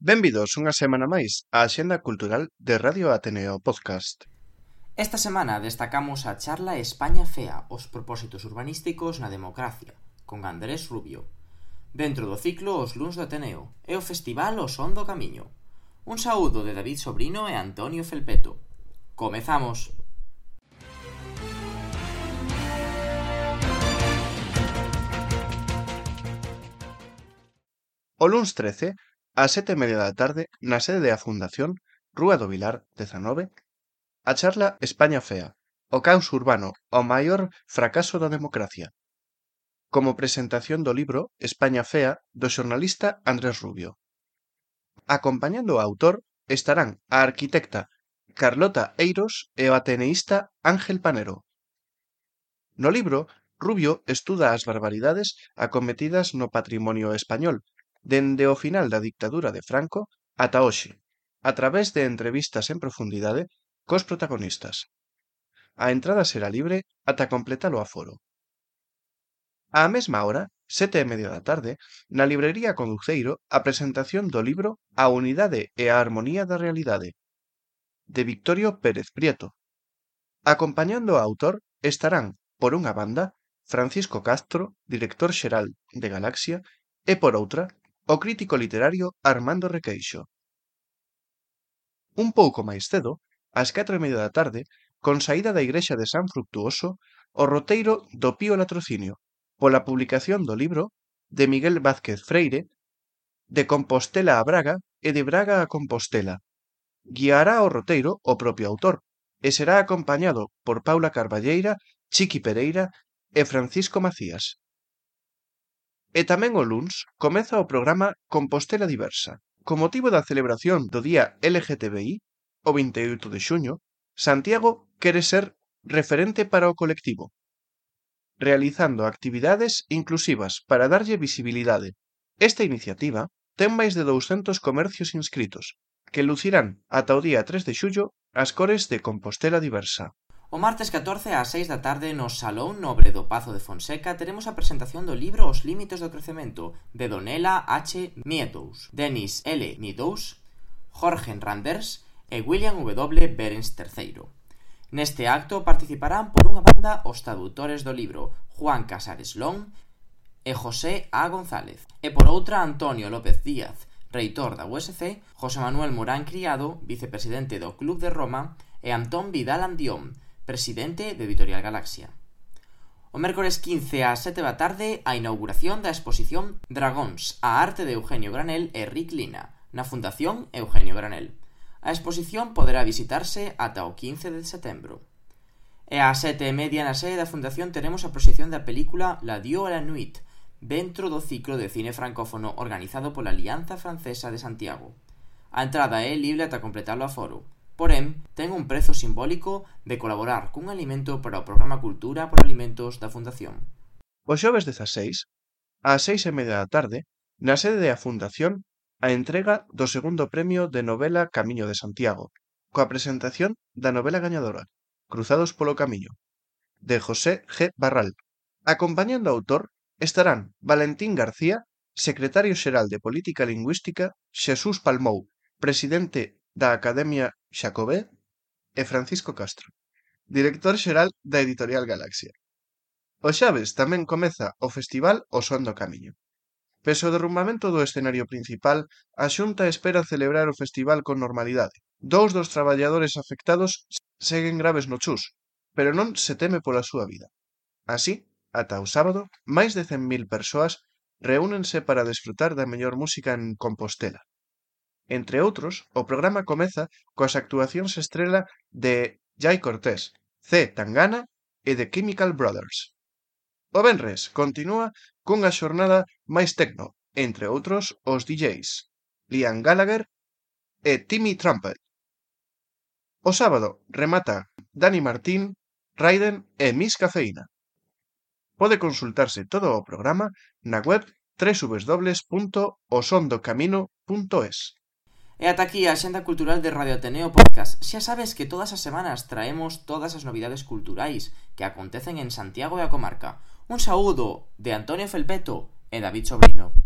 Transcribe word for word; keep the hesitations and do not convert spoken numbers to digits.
Benvidos unha semana máis á Axenda Cultural de Radio Ateneo Podcast. Esta semana destacamos a charla España Fea, os propósitos urbanísticos na democracia, con Andrés Rubio. Dentro do ciclo Os Luns do Ateneo e o festival O Son do Camiño. Un saúdo de David Sobrino e Antonio Felpeto. Comezamos! O luns trece, ás sete e media da tarde, na sede da Fundación, Rúa do Vilar, dezanove, a charla España Fea, o caos urbano, o maior fracaso da democracia. Como presentación do libro España Fea, do xornalista Andrés Rubio. Acompañando o autor estarán a arquitecta Carlota Eiros e o ateneísta Ángel Panero. No libro, Rubio estuda as barbaridades acometidas no patrimonio español, dende o final da dictadura de Franco ata hoxe, a través de entrevistas en profundidade cos protagonistas. A entrada será libre ata completar o aforo. Á mesma hora, sete e media da tarde, na librería Conduceiro, a presentación do libro A unidade e a armonía da realidade, de Victorio Pérez Prieto. Acompañando ao autor estarán, por unha banda, Francisco Castro, director xeral de Galaxia, e por outra, o crítico literario Armando Requeixo. Un pouco máis cedo, ás catro e media da tarde, con saída da igrexa de San Fructuoso, o roteiro do Pío Latrocinio, pola publicación do libro de Miguel Vázquez Freire, De Compostela a Braga e de Braga a Compostela. Guiará o roteiro o propio autor, e será acompañado por Paula Carballeira, Chiqui Pereira e Francisco Macías. E tamén o luns comeza o programa Compostela Diversa. Con motivo da celebración do Día L G T B I, o vinte e oito de xuño, Santiago quere ser referente para o colectivo, realizando actividades inclusivas para darlle visibilidade. Esta iniciativa ten máis de douscentos comercios inscritos, que lucirán ata o día tres de xullo as cores de Compostela Diversa. O martes catorce ás seis da tarde no Salón Nobre do Pazo de Fonseca teremos a presentación do libro Os límites do crecemento de Donella H. Meadows, Dennis L. Meadows, Jorge Randers e William W. Berens terceiro. Neste acto participarán por unha banda os traductores do libro Juan Casares Long e José A. González, e por outra Antonio López Díaz, reitor da U S C, José Manuel Morán Criado, vicepresidente do Club de Roma, e Antón Vidal Andión, presidente de Editorial Galaxia. O mércores quince ás sete da tarde a inauguración da exposición Dragóns, a arte de Eugenio Granel e Rick Lina, na Fundación Eugenio Granel. A exposición poderá visitarse ata o quince de setembro. E ás sete e media na sede da Fundación teremos a proxección da película La Dieu à la Nuit, dentro do ciclo de cine francófono organizado pola Alianza Francesa de Santiago. A entrada é libre ata completar o aforo. Porén, ten un prezo simbólico de colaborar cun alimento para o programa Cultura por Alimentos da Fundación. O xoves dezaseis, ás seis e media da tarde, na sede da Fundación, a entrega do segundo premio de novela Camiño de Santiago, coa presentación da novela gañadora, Cruzados polo Camiño, de José G. Barral. Acompañando ao autor estarán Valentín García, secretario xeral de Política Lingüística, Xesús Palmou, presidente da Academia Xacobé, e Francisco Castro, director xeral da Editorial Galaxia. O xoves tamén comeza o festival O Son do Camiño. Pese ao derrumbamento do escenario principal, a Xunta espera celebrar o festival con normalidade. Dous dos traballadores afectados seguen graves no chus, pero non se teme pola súa vida. Así, ata o sábado, máis de cen mil persoas reúnense para desfrutar da mellor música en Compostela. Entre outros, o programa comeza coas actuacións estrela de Jai Cortés, C. Tangana e The Chemical Brothers. O venres continúa cunha xornada máis tecno, entre outros os D Js Liam Gallagher e Timmy Trumpet. O sábado remata Dani Martín, Raiden e Miss Cafeína. Pode consultarse todo o programa na web doble u doble u doble u punto o son do camino punto es. E ata aquí a Axenda Cultural de Radio Ateneo Podcast. Xa sabes que todas as semanas traemos todas as novidades culturais que acontecen en Santiago e a comarca. Un saúdo de Antonio Felpeto e David Sobrino.